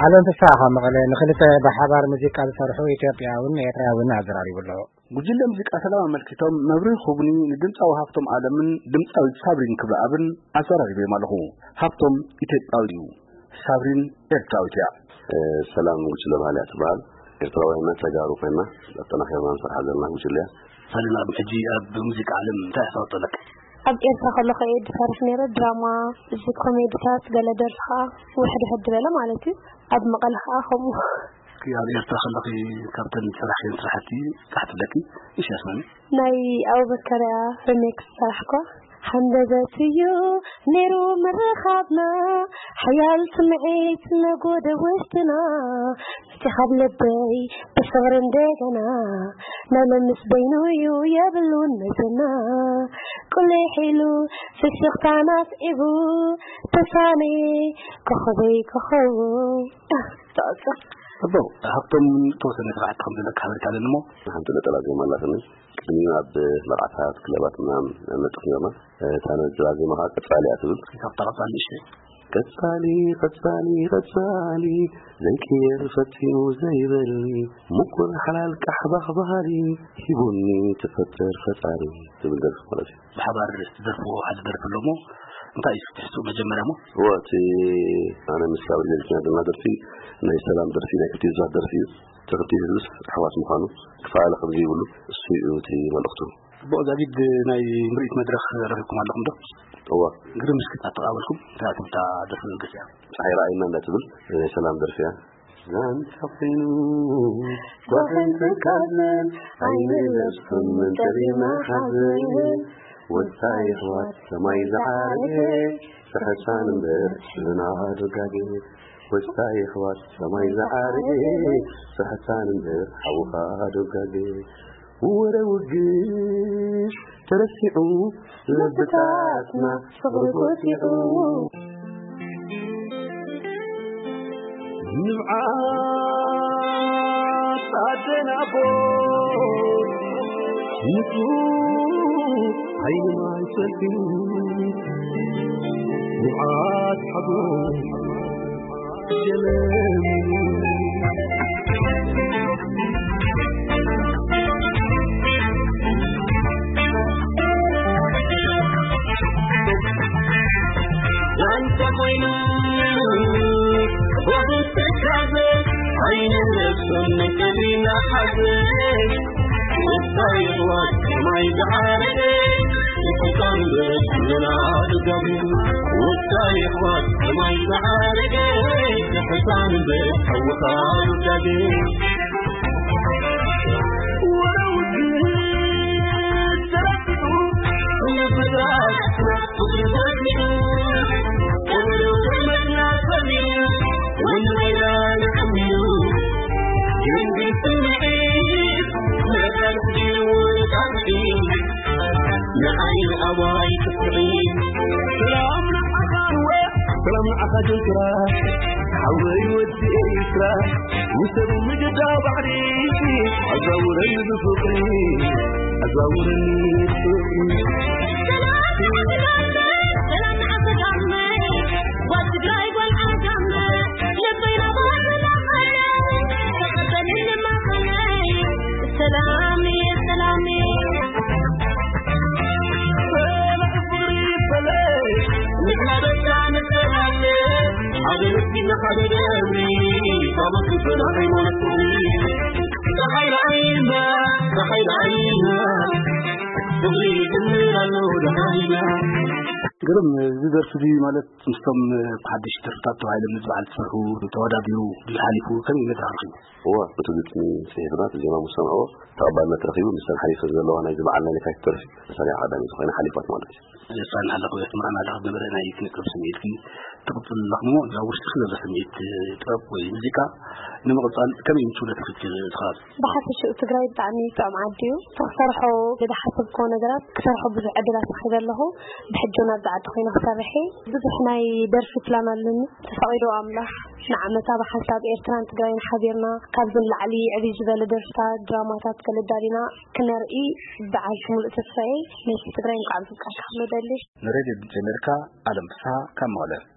ኣለም ፍስሓ ካብ መቐለ ንኽልተ ብሓባር ሙዚቃ ዝሰርሑ ኢትዮጵያውን ኤርትራውን ኣዘራሪቡ ኣሎ። ጉጅለ ሙዚቃ ሰላም ኣመልኪቶም መብርሂ ክህቡኒ ንድምፃዊ ሃብቶም ኣለምን ድምፃዊት ሳብሪን ክብረኣብን ኣዘራሪበዮም ኣለኹ። ሃብቶም ኢትዮጵያዊ እዩ፣ ሳብሪን ኤርትራዊት እያ። እ፣ ሰላም ጉጅለ ባህሊ እያ ትበሃል። ኤርትራውያን ተጋሩ ኮይና ኣጠናኺርና ንሰርሓ ዘለና ጉጅለ እያ። ሰሊና፣ ሕጂ ኣብ ሙዚቃ ዓለም እንታይ ኣስተዋፅኦ ኣለካ? ኣብ ኤርትራ ከለኹ እየ ዝሰርሕ ነይረ፣ ድራማ፣ እዚ ኮሜዲታት፣ ገለ ደርፊ ከዓ ውሕድ ውሕድ ዝበለ ማለት እዩ። ኣብ መቐለ ከዓ ከምኡ። እስኪ ኣብ ኤርትራ ከለኺ ካብተን ዝሰራሕክየን ስራሕቲ ጥራሕ ትብለኪ? እሺ፣ ኣስማኒ። ናይ ኣቡበከርያ ሪሜክስ ሰራሕኳ። ሃንደበት እዩ ነይሩ ምርኻብና፣ ሓያል ስምዒት ነጎደ ውሽጥና። እቲ ካብ ልበይ ብፍቕሪ እንደገና፣ ናይ ለምስ በይኑ እዩ የብሉን መዘና። ቁሊሕ ኢሉ ፍሽኽታና ስዒቡ፣ ተሳኒ ኮኸበይ ኮኸቡ። ተቐጽል። ጽቡቕ። ሃብቶም፣ ተወሰነ ስራሕቲ ከም ዘለካ ሓበሬታ ኣለኒ እሞ። ሓንቲ ነጠላ ዜማ ኣላትኒ። ቅድሚኡ ኣብ መርዓታት፣ ክለባት ምናምን ነጥፍ ነርና። እታ ነጠላ ዜማ ከዓ ቀጻሊ እያ ትብል። እስኪ ካብታ ቀጻሊ ንእሽተይ። ቀጻሊ፣ ቀጻሊ፣ ቀጻሊ፣ ዘይቅየር ፈጺሙ ዘይበሊ፣ ምቁር ሓላል ቃሕ ባኽ ባህሊ፣ ሂቡኒ ትፈጥር ፈጣሪ ትብል ደርፊ ማለት እዩ። ብሓባር ዝደርፍዎ ሓደ ደርፊ ኣሎ እሞ፣ እንታይ እዩ ትሕዝትኡ መጀመርያ እሞ? እወ፣ እቲ ኣነ ምስ ሳብሪ ሌሊትና ዘለና ደርፊ ናይ ሰላም ደርፊ፣ ናይ ክልቲኡ ህዝባት ደርፊ እዩ። እቲ ክልቲኡ ህዝብስ ኣሕዋት ምዃኑ፣ ክፈላለ ከም ዘይብሉ፣ እሱ እዩ እቲ መልእኽቱ። ጽቡቕ፣ ዛጊድ ናይ ምርኢት መድረኽ ረኺብኩም ኣለኹም ዶ? እወ። ግርም፣ እስኪ ኣተቓበልኩም እንታይ ትብል እታ ደርፊ መበገሲኣ? ጸሓይ ረኣይና እንዳትብል ናይ ሰላም ደርፊ እያ። ዛንታ ኮይኑ ጓህን ትካዘን ዓይኒ ነብሱን መንጠሪና ሓዘን። ወሳ የሕዋት ሰማይ ዝዓረገ፣ ስሕሳን እምበር ዝናሃ ዶጋገ። ወሳ የሕዋት ሰማይ ዝዓረገ፣ ስሕሳን እምበር ሓውኻ ዶጋገ። ወረ ውግስ ተረሲዑ፣ ልብታትና ፍቕሪ ጎሲዑ። ንብዓት ኣደን ኣቦ ንጹህ ዓይኒ ማይ ሰልፊ። ንብዓት ሓጎስ ንዓይ ኣባይ ክስዕይ። ሰላም ንዓኻ ንወ፣ ሰላም ንዓኻ ጀንትራ። ሓወይ ወዲ ኤርትራ፣ ውሰድ ምግዳ ባሕሪ፣ ኣዛውረኒ ብፍቕሪ፣ ኣዛውረኒ ብፍቕሪ። ግርም፣ እዚ ደርፊ እዚ ማለት ምስቶም ብሓድሽ ደርፍታት ተባሂሎም ምስ በዓል ዝሰርሑ ተወዳዲሩ ድዩ ሓሊፉ? ከመይ ኢሉ ተረኺቡ? እወ፣ እቲ ግጥሚ ጽሒፍና፣ እቲ ዜማ ምስ ሰምዕዎ ተቐባልነት ረኺቡ፣ ምስተን ሓሊፈን ዘለዋ ናይዚ በዓል ናይ ለካቲት ደርፊ መሳርያ ቀዳመይቲ ኮይና ሓሊፋት ማለት እዩ። የፋን ኣለኹ፣ የስምዓና ኣለኹ ዝነበረ ናይ ስነ ጥበብ ስምዒትኪ ትቕጽል ኣለኹ እሞ፣ እዛ ውሽጥኪ ዘሎ ስምዒት ጥበብ ወይ ሙዚቃ ንምቕጻል ከመይ እዩ ምቹእ ነቲ ፍትሕ ዝኸኣል? ብሓፈሽኡ ትግራይ ብጣዕሚ ጥዑም ዓዲ እዩ። እቲ ክሰርሖ ዝሓሰብክዎ ነገራት ክሰርሖ ብዙሕ ዕድላት ረኺበ ኣለኹ። ብሕጂ እውን ኣብዚ ዓዲ ኮይነ ክሰርሕ እየ። ብዙሕ ናይ ደርፊ ፕላን ኣለኒ። ተፈቒዶ ኣምላኽ ንዓመታ ብሓንሳብ ኤርትራን ትግራይን ሓቢርና ካብዚ ንላዕሊ ዕብይ ዝበለ ደርፍታት፣ ድራማታት ከለዳሊና ክነርኢ ብዓል ሙሉእ ተስፋ እየ። ነቲ ትግራይ እንኳዕ ኣብዝብቃዕካ ክብሎ ደሊ። ንሬድዮ ድምፂ ኣሜሪካ፣ ኣለም ፍስሃ ካብ መቐለ።